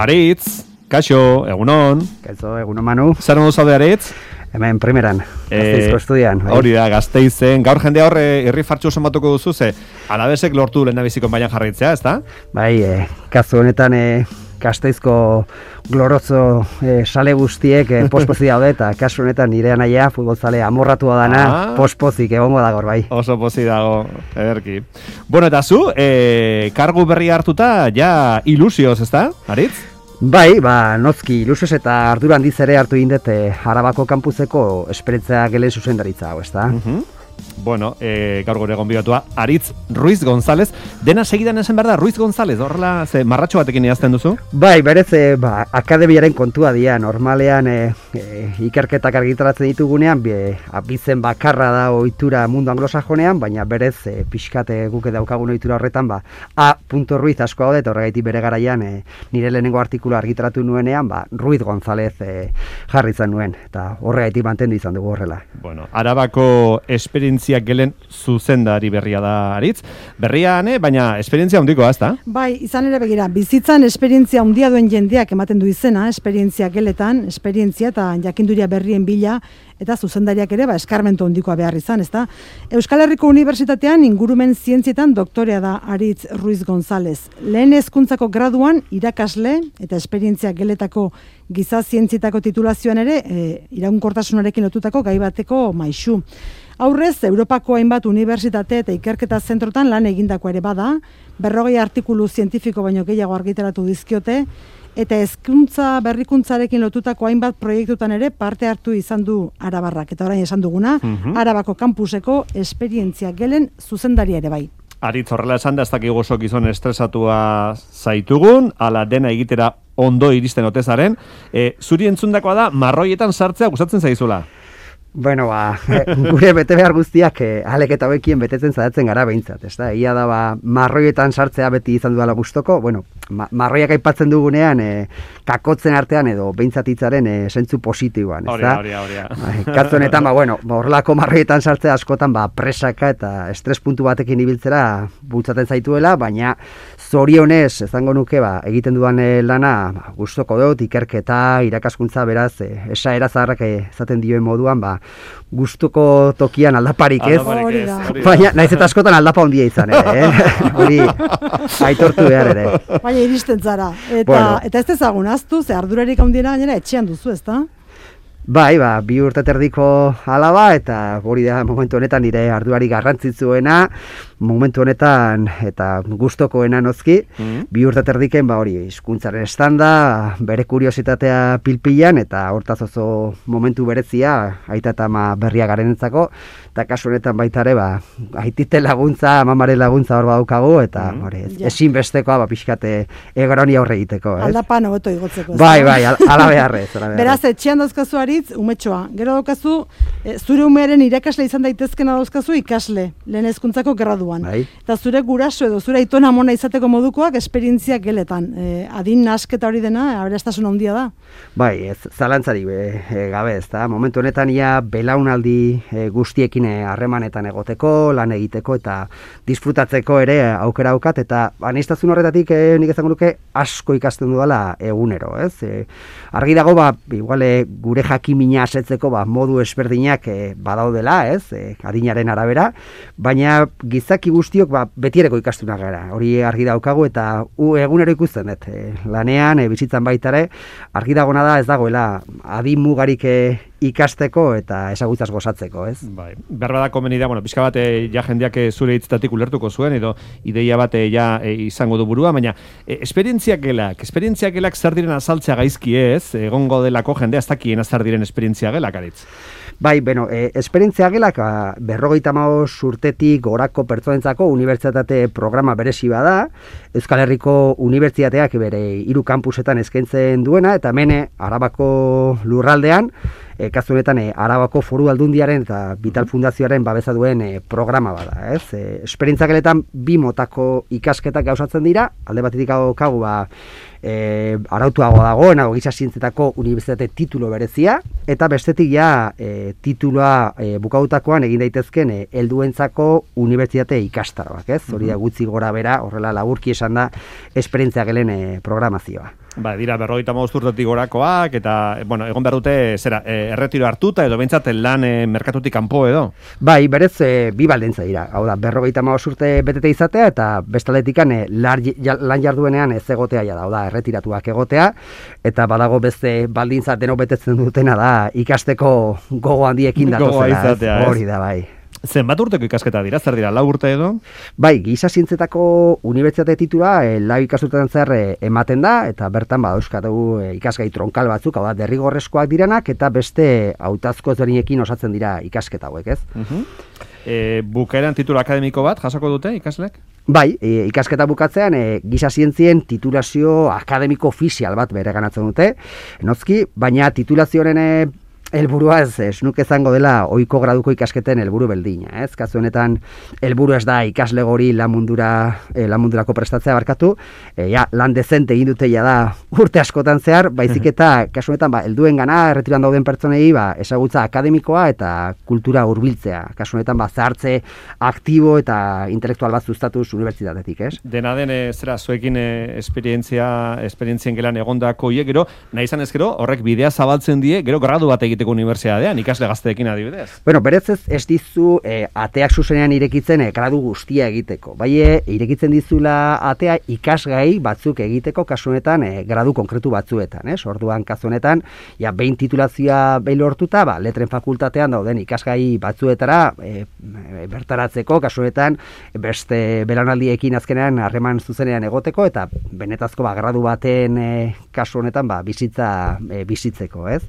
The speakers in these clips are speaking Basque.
Aritz, kaixo, egunon. Kaixo, egunon Manu. Zer modu zaude Aritz? Hemen primeran, Gasteizko estudian. Hori da, Gasteizen. Gaur jendea horre irri fartxu sonbatuko duzu, ze alabesek lortu lehendabiziko baian jarraitzea, ezta? Bai, kasu honetan Gasteizko glorozo sale guztiek pospozik daude, eta kasu honetan nire anaia futbolzale amorratua dana pospozik egongo da gaur, bai. Oso pozik dago, ederki. Bueno, eta zu, kargu berri hartuta, ja ilusioz, ezta, Aritz? Bai, nozki ilusioz eta ardura handiz ere hartu indet Arabako kampuseko esperientzia gelen zuzendaritza hau, ezta? Bueno, gaur gure gonbidatua Aritz Ruiz González. Dena segidan esan behar da, Ruiz González, horrela marratxo batekin idazten duzu? Bai, berez, akademiaren kontua dira, normalean ikerketak argitaratzen ditugunean, abizen bakarra da ohitura mundu anglosajonean, baina berez, pixkate guke daukagun ohitura horretan, A. Ruiz asko hau eta horregaitik bere garaian nire lehenengo artikula argitaratu nuenean, Ruiz González jarri izan nuen, eta horregaitik mantendu izan dugu horrela. Bueno, Arabako esperientziak gelen zuzendari berria da Aritz. Berria, baina esperientzia handikoa, ezta? Bai, izan ere begira, bizitzan esperientzia handia duen jendeak ematen du izena, esperientzia geletan, esperientzia eta jakinduria berrien bila, eta zuzendariak ere eskarmentu handikoa behar izan, ezta? Euskal Herriko Unibertsitatean ingurumen zientzietan doktorea da Aritz Ruiz González. Lehen hezkuntzako graduan irakasle eta esperientzia geletako giza zientzietako titulazioan ere iraunkortasunarekin lotutako gai bateko maisu. Aurrez, Europako hainbat unibertsitate eta ikerketa zentrotan lan egindako ere bada, 40 artikulu zientifiko baino gehiago argitaratu dizkiote, eta hezkuntza berrikuntzarekin lotutako hainbat proiektutan ere parte hartu izan du arabarrak. Eta orain esan duguna, Arabako kampuseko esperientzia gelen zuzendaria ere bai. Aritz, horrela esan da, ez dakik oso gizon estresatua zaitugun, ala dena egitera ondo iristen otezaren. Zuri entzundakoa da, marroietan sartzea gustatzen zaizula? Bueno, gure bete behar guztiak alek eta hauekien betetzen zadatzen gara behintzat, ezta? Ia da, marroietan sartzea beti izan duela gustoko, bueno, marroiak aipatzen dugunean kakotzen artean edo behintzat hitzaren zentzu positiboan, ezta? Hori. Kasu honetan, horrelako marroietan sartzea askotan presaka eta estres puntu batekin ibiltzera bultzaten zaituela, baina zorionez, ezango nuke, egiten dudan lana gustoko dut, ikerketa, irakaskuntza, beraz, esaera zaharrak ezaten dioen moduan, gustuko tokian aldaparik ez, baina naiz eta askotan aldapa handia izan ere, hori aitortu behar ere. Baina iristen zara, eta ez dezagun aztu, ze ardurarik handiena gainera etxean duzu, ezta? Bai, 2 urte terdiko alaba, eta hori da momentu honetan nire ardurari garrantzitsuena, momentu honetan eta gustokoena nozki, 2 urte terdiken hori hizkuntzaren estanda, bere kuriositatea pilpilan, eta hortaz oso momentu berezia, aita eta ama berria garenentzako, eta kasu honetan baita ere, aitite laguntza, amamaren laguntza hor badaukagu, eta ezinbestekoa, pixkate egroni aurre egiteko. Aldapan hobeto igotzeko. Bai, ala beharrez. Beraz, etxean dauzkazu Aritz, umetxoa. Gero daukazu, zure umearen irakasle izan daitezkena dauzkazu ikasle, lehen hezkuntzako graduan. Bai. Eta zure guraso edo zure aitona amona izateko modukoak esperientziak geletan. Adin nasketa hori dena, aberastasun handia da. Bai, ez zalantzari gabe, ez da. Momentu honetan ia belaunaldi guztiekin harremanetan egoteko, lan egiteko eta disfrutatzeko ere aukera aukat, eta aniztazun horretatik nik ezango nuke asko ikasten dudala egunero, ez? Argi dago, igual gure jakimina asetzeko modu ezberdinak badaudela, ez? Adinaren arabera, baina gizaki guztiok betiereko ikastunak gara. Hori argi daukagu eta egunero ikusten dut. Lanean, bizitzan baitare, argi dagona da ez dagoela adin mugarik ikasteko eta ezagutzaz gozatzeko, ez? Bai, berba da komeni da, pixka bat ja jendeak zure hitzetatik ulertuko zuen, edo ideia bat izango du burua, baina esperientziak gelak zer diren azaltzea gaizki ez, egongo delako jendea ez dakien zer diren esperientzia gelak, Aritz? Bai, esperientzia gelak 55 urtetik gorako pertsonentzako unibertsitate programa berezi bada, Euskal Herriko Unibertsitateak bere 3 kampusetan eskaintzen duena, eta hemen Arabako lurraldean, kasu honetan Arabako Foru Aldundiaren eta Vital Fundazioaren babesa duen programa bada, ez? Esperientzia geletan 2 motako ikasketak gauzatzen dira, alde batetik daukagu arautuago dagoena giza zientzietako unibertsitate titulo berezia, eta bestetik titulua bukautakoan egin daitezken helduentzako unibertsitate ikastaroak, ez? Hori da gutxi gora bera, horrela laburki esan da esperientzia gelen programazioa. Ba, dira 55 urtetik gorakoak eta bueno, egon behar dute erretiro hartuta edo behintzat lan merkatutik kanpo edo. Bai, berez bi baldintza dira. Hau da, 55 urte betete izatea eta bestaletikan lan jarduenean ez egotea ja da. Hau da, erretiratuak egotea eta badago beste baldintza denok betetzen dutena da ikasteko gogo handiekin datozela. Hori da, bai. Zenbat urteko ikasketa dira? Zer dira, 4 urte edo? Bai, giza zientzetako unibertsitate titula 4 ikasturtetan zer ematen da, eta bertan euskatu ikasgai tronkal batzuk, hau da, derrigorrezkoak direnak, eta beste hautazko ezberdinekin osatzen dira ikasketa hauek, ez? Bukaeran titulu akademiko bat jasoko dute ikaslek? Bai, ikasketa bukatzean giza zientzien titulazio akademiko ofizial bat bereganatzen dute, nozki, baina titulazioaren helburua ez nuke izango dela ohiko graduko ikasketen helburu beldina, ez? Kasu honetan helburu ez da ikasle gori lan mundurako prestatzea barkatu, lan dezente egin dute ja da urte askotan zehar, baizik eta kasu honetan helduengana erretiran dauden pertsonei ezagutza akademikoa eta kultura hurbiltzea. Kasu honetan zahartze aktibo eta intelektual bat sustatuz unibertsitatetik, ez? Dena den zuekin esperientzien gelan egondako hiek, gero nahi izan ez gero horrek bidea zabaltzen die, gero gradu bat unibertsitatean, ikasle gazteekin adibidez. Bueno, berez ez dizu ateak zuzenean irekitzen gradu guztia egiteko. Bai, irekitzen dizula atea ikasgai batzuk egiteko kasu honetan gradu konkretu batzuetan, ez? Orduan kasu honetan, behin titulazioa behin lortuta, letren fakultatean dauden ikasgai batzuetara bertaratzeko kasu honetan beste belaunaldiekin azkenean harreman zuzenean egoteko eta benetazko gradu baten kasu honetan bizitzeko, ez?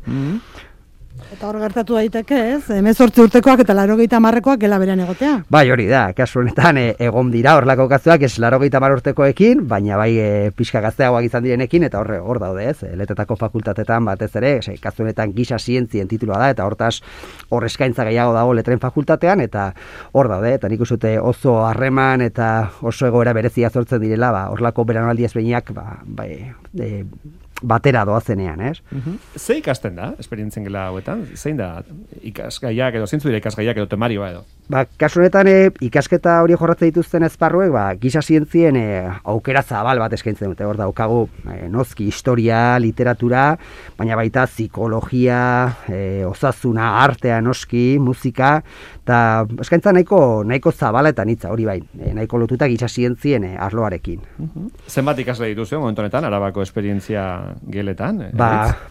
Eta hor gertatu daiteke, ez? 18 urtekoak eta 90 gela berean egotea. Bai, hori da, kasu honetan egon dira horlako kasuak ez 90 urtekoekin, baina bai pixka gazteagoak izan direnekin eta hor daude, ez? Letetako fakultatetan batez ere, kasu honetan giza zientzien titulua da eta hortaz hor eskaintza gehiago dago letren fakultatean eta hor daude, eta nik uste oso harreman eta oso egoera berezia sortzen direla, horlako belaunaldi ezberdinak batera doazenean, ez? Ze ikasten da, esperientzien gela hauetan? Zein da ikasgaiak edo, zeintzu dira ikasgaiak edo temarioa edo? Kasu honetan ikasketa hori jorratzen dituzten esparruek, giza zientzien aukera zabal bat eskaintzen dute. Hor daukagu nozki historia, literatura, baina baita psikologia, osasuna, artea noski, musika, eta eskaintza nahiko zabala eta nitza, hori bai, nahiko lotuta giza zientzien arloarekin. Zenbat ikasle dituzu momentu honetan, Arabako esperientzia geletan?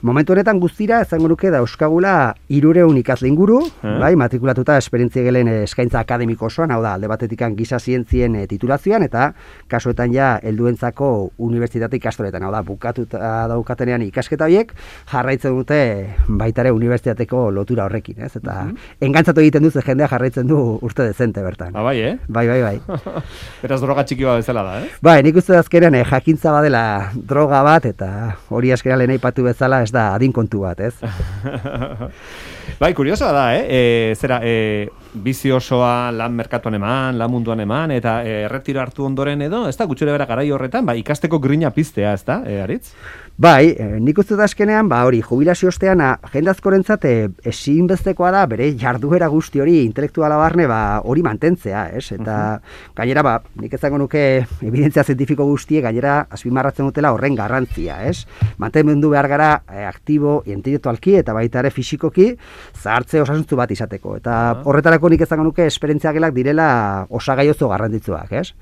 Momentu honetan guztira, ezango nuke dauzkagula 300 ikasle inguru, bai, matrikulatuta esperientzia gelen eskaintza akademiko osoan, hau da, alde batetikan giza zientzien titulazioan, eta kasuetan helduentzako unibertsitate ikastoretan, hau da, bukatuta daukatenean ikasketa horiek, jarraitzen dute baitare unibertsitateko lotura horrekin, ez? Eta engantzatu egiten duz, jendea jarraitzen du urte dezente bertan. Bai, Bai. Beraz droga txiki bat bezala da, eh? Bai, nik uste azkenean jakintza badela droga bat, eta hori azkenean lehen aipatu bezala ez da adin kontu bat, ez? Bai, kuriosoa da, bizi osoa lan merkatuan eman, lan munduan eman, eta erretiro hartu ondoren edo, ez da, gutxure bera garai horretan, ikasteko grina piztea, ez da, Aritz? Bai, nik uste da azkenean, hori, jubilazio ostean, jende askorentzat ezinbestekoa da, bere jarduera guzti hori, intelektuala barne, hori mantentzea, ez? Eta gainera, nik ezango nuke evidentzia zientifiko guztie, gainera, azpimarratzen dutela horren garrantzia, ez? Mantenmendu behar gara aktibo, intelektualki, eta baita ere fisikoki, zahartze osasuntzu bat izateko. Eta horretarako nik ezango nuke esperientzia gelak direla osagai oso garrantzitsuak, ez?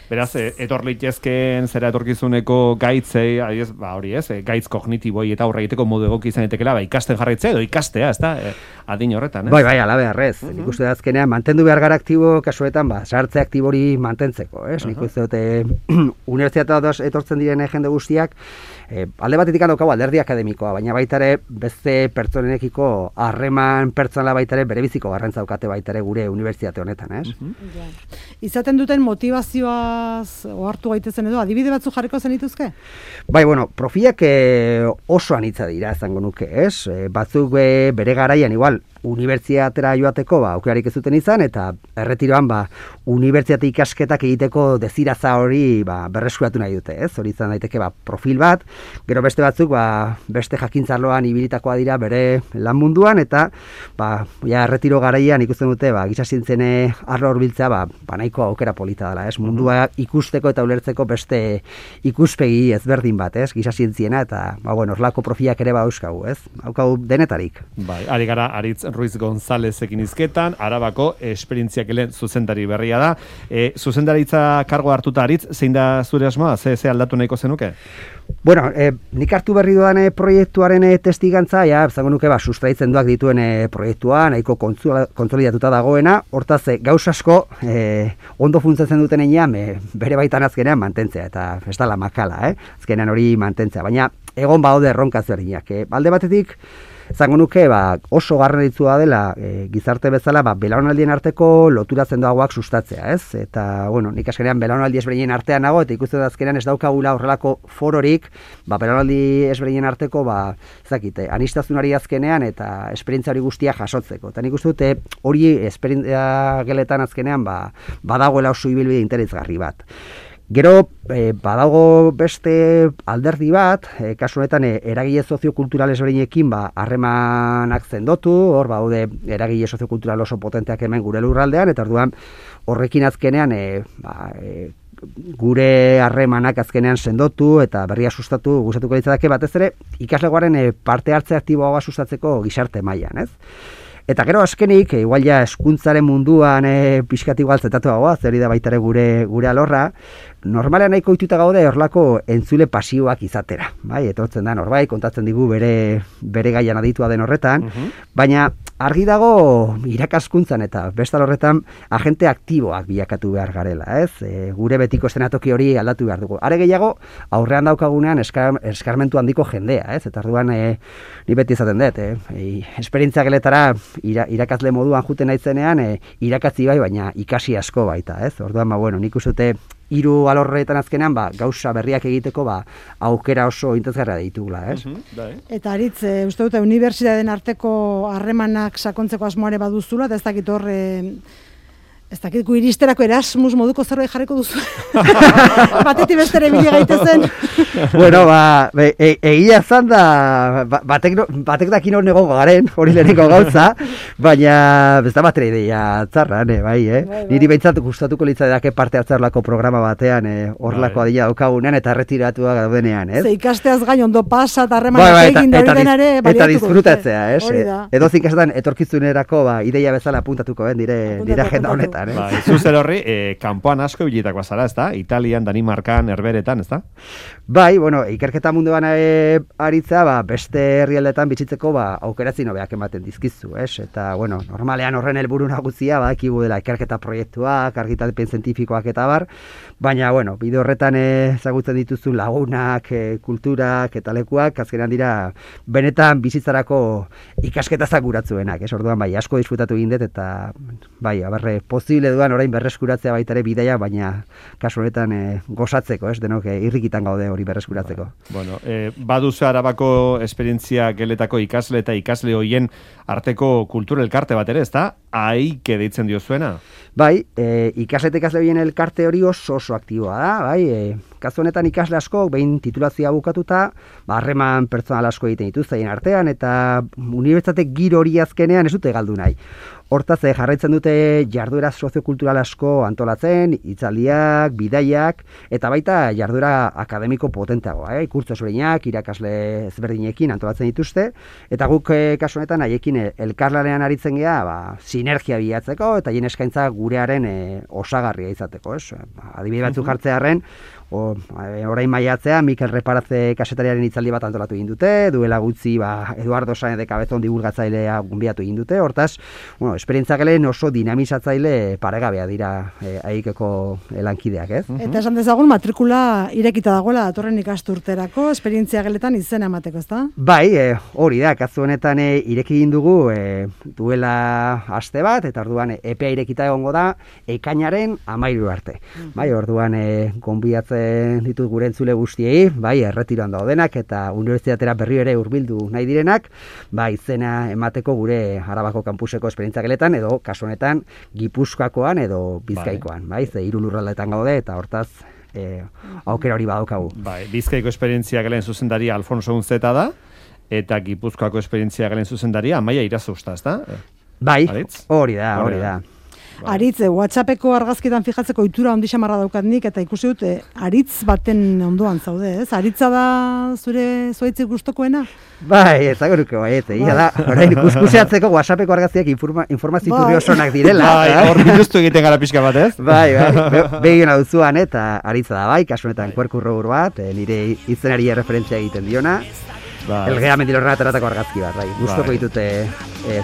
Beraz, etor litezkeen zera etorkizuneko gaitzei, hori ez, gaitz kognitiboi eta aurre egiteko modu egoki izan etekela, ikasten jarraitzea edo ikastea, ez da, adin horretan, ez? Bai, ala beharrez. Nik uste da azkenean, mantendu behar gara aktibo, kasuetan, sartze aktibori mantentzeko, ez? Nik uste dute, unibertsitatea etortzen diren jende guztiak, alde batetik daukagu alderdi akademikoa, baina baitare beste pertsonenekiko harreman pertsonala baitare berebiziko garrantza daukate baitare gure unibertsitate honetan, ez? Izaten duten motivazioaz ohartu gaitezen edo, adibide batzuk jarriko zenituzke? Bai, profilak oso anitza dira, izango nuke, ez? Batzuk bere garaian, igual, unibertsitatera joateko aukerarik ez zuten izan, eta erretiroan unibertsitate ikasketak egiteko deziraza hori berreskuratu nahi dute, ez? Hori izan daiteke profil bat, gero beste batzuk beste jakintzarloan ibilitakoa dira bere lan munduan, eta erretiro garaian ikusten dute giza zientzien arlo hurbiltzea nahiko aukera polita dela, ez? Mundua ikusteko eta ulertzeko beste ikuspegi ezberdin bat, ez? Giza zientziena, eta horlako profilak ere euskagu, ez? Haukagu denetarik. Bai, ari gara Aritz Ruiz Gonzalezekin hizketan, Arabako esperientziakelen zuzendari berria da. Zuzendaritza kargo hartuta, Aritz, zein da zure asmoa? Ze aldatu nahiko zenuke? Bueno, nik hartu berri dudan proiektuaren testigantza, zango nuke sustraitzen duak dituen proiektua, nahiko kontsolidatuta dagoena, hortaz gauz asko ondo funtzatzen duten einean, bere baitan azkenean mantentzea, eta ez da la makala, azkenean hori mantentzea, baina egon badaude erronka ezberdinak. Alde batetik, zango nuke oso garrantzitsua dela gizarte bezala belaunaldien arteko lotura sendoagoak sustatzea, ez? Eta nik azkenean belaunaldi ezberdinen artean nago, eta ikusten da azkenean ez daukagula horrelako fororik belaunaldi ezberdinen arteko anistazunari azkenean eta esperientzia hori guztia jasotzeko. Eta nik uste dute hori esperientzia geletan azkenean badagoela oso ibilbide interesgarri bat. Gero, badago beste alderdi bat, kasu honetan eragile soziokultural ezberdinekin harremanak sendotu, hor baude eragile soziokultural oso potenteak hemen gure lurraldean, eta orduan horrekin azkenean gure harremanak azkenean sendotu eta berria sustatu gustatuko litzateke batez ere ikaslegoaren parte hartze aktiboa sustatzeko gizarte mailan, ez? Eta gero azkenik, igual hezkuntzaren munduan pixkat igual zetatuagoa, zer da baita ere gure alorra, normalean nahiko ohituta gaude horlako entzule pasiboak izatera. Bai, etortzen da norbait, kontatzen digu bere gaian aditua den horretan, baina argi dago irakaskuntzan eta bestal horretan agente aktiboak bilakatu behar garela, ez? Gure betiko eszenatoki hori aldatu behar dugu. Are gehiago, aurrean daukagunean eskarmentu handiko jendea, ez? Eta orduan ni beti izaten dut, esperientzia geletara irakasle moduan juten naitzenean, irakatzi baina ikasi asko baita, ez? Orduan, nik uste dute hiru alorretan azkenean gauza berriak egiteko aukera oso interesgarria ditugula, ez? Eta Aritz, uste dute unibertsitateen arteko harremanak sakontzeko asmoare baduzula, eta ez dakit hor ez dakit gu iristerako Erasmus moduko zerbait jarriko duzu. Batetik bestere bili gaitezen. Bueno, egia zan da, batek dakin hor negongo garen, hori leheneko gauza, baina ez da batera ideia txarra, bai. Niri behintzat gustatuko litzateke parte hartzarlako programa batean, horrelako adila daukagunean eta erretiratua gaudenean, ez? Ze ikasteaz gain ondo pasa eta harremanak egin da hori denare baliatuko. Eta disfrutatzea, ez? Edo zinkasetan etorkizunerako ideia bezala apuntatuko dire agenda honetan. Zuzer horri, kanpoan asko ibilitakoa zara, ez da? Italian, Danimarkan, Herberetan, ez da? Bai, ikerketa munduan aritza, beste herrialdetan bizitzeko aukeratzi nobeak ematen dizkizu, ez? Eta, normalean horren helburu nagusia, ekibu dela ikerketa proiektuak, argitalpen zientifikoak eta bar, baina, bide horretan ezagutzen dituzu lagunak, kulturak eta lekuak, azkenean dira, benetan bizitzarako ikasketazak guratzuenak, ez? Orduan, asko disfrutatu egin dut, eta, posible duan orain berreskuratzea baita ere bidaia, baina kasu honetan gozatzeko, ez? Denok irrikitan gaude hori berreskuratzeko. Baduzu Arabako esperientzia geletako ikasle eta ikasle hoien arteko kultura elkarte bat ere, ez da? Aike deitzen diozuena? Bai, ikasle eta ikasle hoien elkarte hori oso aktiboa da, bai, kasu honetan ikasle asko, behin titulazioa bukatuta, harreman pertsonal asko egiten dituzten artean, eta unibertsitate giro hori azkenean ez dute galdu nahi. Hortaz, jarraitzen dute jarduera soziokultural asko antolatzen, hitzaldiak, bidaiak, eta baita jarduera akademiko potenteagoa, kurtso ezberdinak, irakasle ezberdinekin antolatzen dituzte, eta guk kasu honetan haiekin elkarlanean aritzen gea, sinergia bilatzeko, eta hien eskaintza gurearen osagarria izateko, ez? Adibide batzuk jartzearren, orain maiatzean Mikel Reparatze kasetariaren hitzaldi bat antolatu egin dute, duela gutxi Eduardo Sáenz de Cabezón divulgatzailea gonbidatu egin dute, hortaz, esperientzia gelen oso dinamizatzaile paregabea dira haikeko lankideak, ez? Eta esan dezagun matrikula irekita dagoela datorren ikasturterako esperientzia geletan izena emateko, ezta? Bai, hori da, kasu honetan ireki egin dugu duela aste bat, eta orduan epea irekita egongo da ekainaren 13 arte. Bai, orduan gonbidatzen ekartzen ditut gure entzule guztiei, bai, erretiroan daudenak eta unibertsitatera berri ere hurbildu nahi direnak, bai, izena emateko gure Arabako kampuseko esperientzia-geletan edo kasu honetan Gipuzkoakoan edo Bizkaikoan, bai, ze 3 lurraldeetan gaude eta hortaz aukera hori badaukagu. Bai, Bizkaiko esperientzia-gelen zuzendaria Alfonso Unzeta da eta Gipuzkoako esperientzia-gelen zuzendaria Amaia Irazusta, ezta? Bai, hori da. Aritz, WhatsAppeko argazkitan fijatzeko ohitura handi xamarra daukat nik, eta ikusi dut, aritz baten ondoan zaude, ez? Aritza da zure zuaitzik gustokoena? Bai, ezago nuke baiet, da, orain ikuseatzeko WhatsAppeko argazkiak informazio iturri osonak direla. Bai, hor biluztu egiten gara pixka bat, ez? Bai, begin hau zuan, eta aritza da bai, kasunetan kuerkurro bat, nire izenari referentzia egiten diona. Elgea Mendilorrena ateratako argazki bat, bai. Gustoko ditute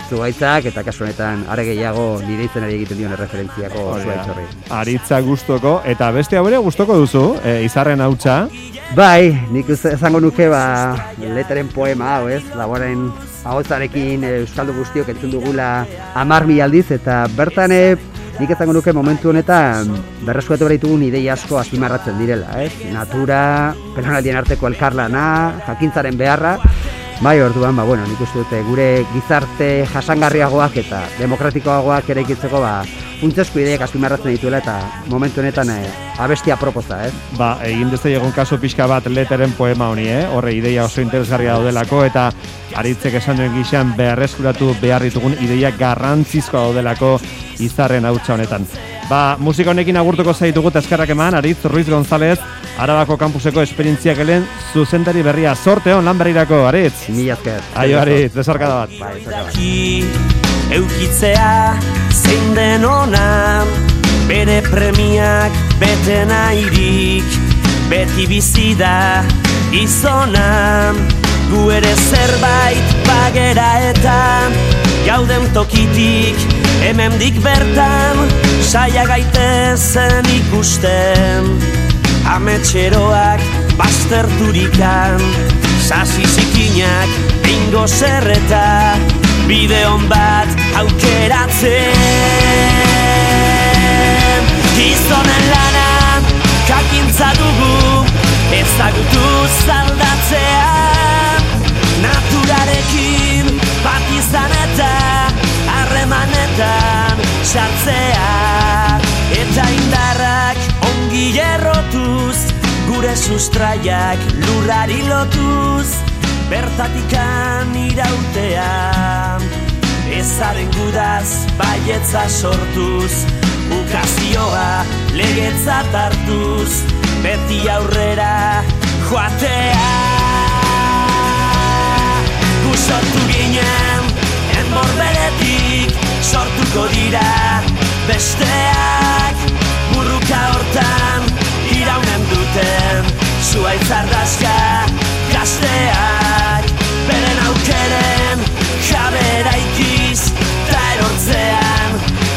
zuaitzak eta kasu honetan are gehiago nire izenari egiten dion referentziako zuaitz horri. Aritza gustoko eta beste hau ere gustoko duzu, Izarren hautsa. Bai, nik esango nuke leteren poema hau, ez? Laboren ahotsarekin euskaldu guztiok entzun dugula 10.000 aldiz eta bertan nik esango nuke momentu honetan berreskuratu behar ditugun ideia asko azpimarratzen direla, ez? Natura, pertsonaldien arteko elkarlana, jakintzaren beharra. Bai, orduan, nik uste dute gure gizarte jasangarriagoak eta demokratikoagoak eraikitzeko funtsezko ideiak azpimarratzen dituela eta momentu honetan abestia proposa, ez? Egin dezai egon kaso pixka bat leteren poema honi, horre ideia oso interesgarria daudelako eta Aritzek esan duen gixan berreskuratu behar ditugun ideia garrantzizkoa daudelako Izarren hautsa honetan. Musika honekin agurtuko zaitugu eskerrak eman, Aritz Ruiz González, Arabako kampuseko esperientziakelen zuzendari berria. Sorte hon lan berrirako, Aritz. Mila esker. Aio, Aritz, besarkada bat. Eukitzea zein den ona, bere premiak bete nahirik, beti bizi da gizona, gu ere zerbait bagera eta gauden tokitik hemendik bertan saia gaitezen ikusten, ametxeroak bazterturikan, sasi zikinak bingo zerreta, bideon bat aukeratzen. Gizonen lana jakintza dugu, ezagutu zaldatzea, naturarekin bat izan eta harremanetan sartzea, eta indarrak ongi errotuz, gure sustraiak lurrari lotuz, bertatikan irautea, ezaren gudaz baietza sortuz, ukazioa legetzat hartuz, beti aurrera joatea. Gu sortu ginen, enborberetik sortuko dira besteak, burruka hortan iraunen duten, zuaitz ardazka gazteak, beren aukeren jabera ikiz, ta erortzean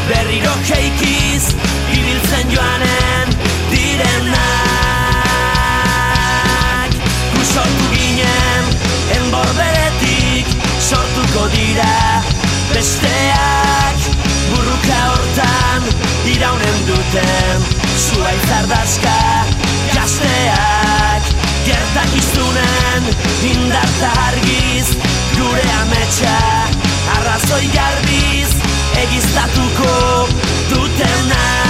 berriro keikiz, ibiltzen joanen direnak. Gu sortu ginen, enborberetik sortuko dira besteak, burruka hortan iraunen duten, zuaitz ardazka gazteak, gertakizunen indarta argiz, gure ametsa arrazoi garbiz, egiztatuko dutenak.